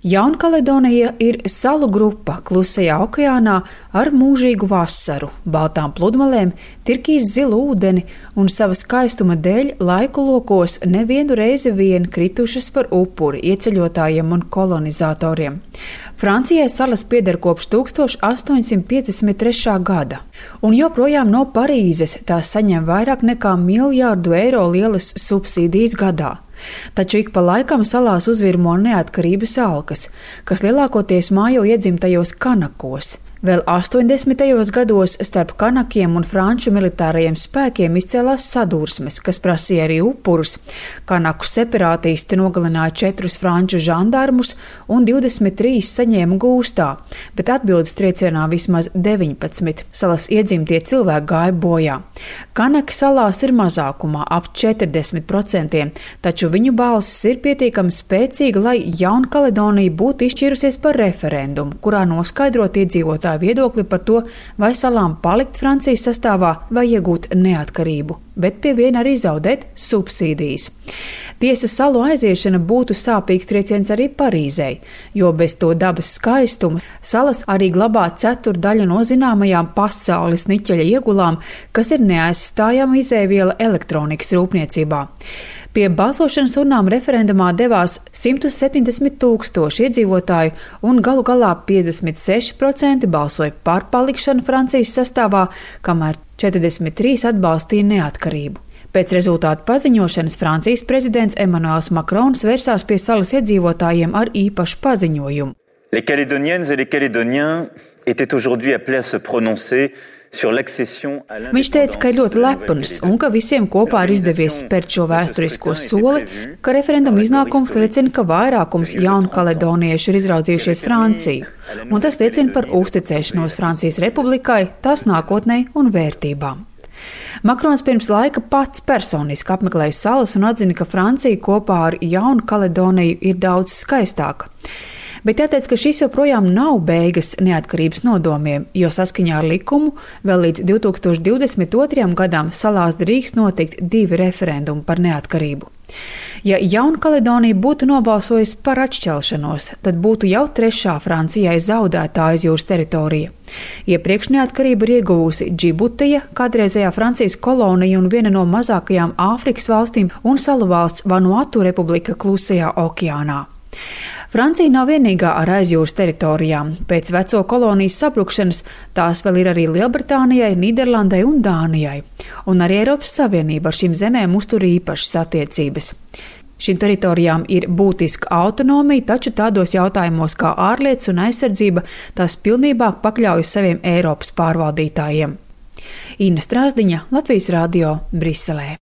Jaunkaledonija ir salu grupa Klusajā okeānā ar mūžīgu vasaru, baltām pludmalēm, turkīz zilu ūdeni un sava skaistuma dēļ laiku lokos nevienu reizi vien kritušas par upuri ieceļotājiem un kolonizatoriem. Francijai salas pieder kopš 1853. gada, un joprojām no Parīzes tās saņem vairāk nekā €1 miljārdu lielas subsīdijas gadā. Taču ik pa laikam salās uzvirmo neatkarības alkas, kas lielākoties mājo iedzimtajos Kanakos. Vēl 80. gados starp kanakiem un franču militārajiem spēkiem izcēlās sadursmes, kas prasīja arī upurus. Kanaku separātisti nogalināja 4 franču žandarmus un 23 saņēma gūstā, bet atbildes triecienā vismaz 19 salas iedzimtie cilvēki gāja bojā. Kanaki salās ir mazākumā ap 40%, taču viņu balss ir pietiekami spēcīga, lai Jaunkaledonija būtu izšķīrusies par referendumu, kurā noskaidrot iedzīvotāju viedokli par to, vai salām palikt Francijas sastāvā vai iegūt neatkarību, bet pie viena arī zaudēt subsīdijas. Tiesa, salu aiziešana būtu sāpīgs trieciens arī Parīzei, jo bez to dabas skaistuma salas arī glabā ceturdaļu no zināmajām pasaules niķeļa iegulām, kas ir neaizstājama izēviela elektronikas rūpniecībā. Pie balsošanas urnām referendumā devās 170 000 iedzīvotāju, un galu galā 56% balsoja par palikšanu Francijas sastāvā, kamēr 43% atbalstīja neatkarību. Pēc rezultātu paziņošanas Francijas prezidents Emmanuels Macrons vērsās pie salas iedzīvotājiem ar īpašu paziņojumu. Les Calédoniennes et les Calédoniens étaient aujourd'hui appelés à se prononcer. Viņš teica, ka ir ļoti lepns un ka visiem kopā ir izdevies spērt šo vēsturisko soli, ka referenduma iznākums liecina, ka vairākums jaunkaledoniešu ir izraudzījušies Franciju, un tas liecina par uzticēšanos Francijas republikai, tās nākotnei un vērtībām. Makrons pirms laika pats personiski apmeklēja salas un atzina, ka Francija kopā ar Jaunkaledoniju ir daudz skaistāka. Bet jāteic, ka šis joprojām nav beigas neatkarības nodomiem, jo saskaņā ar likumu vēl līdz 2022. gadam salās drīkst notikt 2 referendumi par neatkarību. Ja Jaunkaledonija būtu nobalsojusi par atšķelšanos, tad būtu jau 3. Francijai zaudētā aizjūras teritorija. Iepriekš neatkarību ir ieguvusi Džibutija, kādreizējā Francijas kolonija un viena no mazākajām Āfrikas valstīm, un salu valsts Vanuatu republika Klusajā okeānā. Francija nav vienīgā ar aizjūras teritorijām. Pēc veco kolonijas sabrukšanas tās vēl ir arī Lielbritānijai, Nīderlandei un Dānijai. Un arī Eiropas Savienība ar šīm zemēm uztur īpašas attiecības. Šīm teritorijām ir būtiska autonomija, taču tādos jautājumos kā ārlietas un aizsardzība tās pilnībā pakļaujas saviem Eiropas pārvaldītājiem. Inna Strāzdiņa, Latvijas radio, Briselē.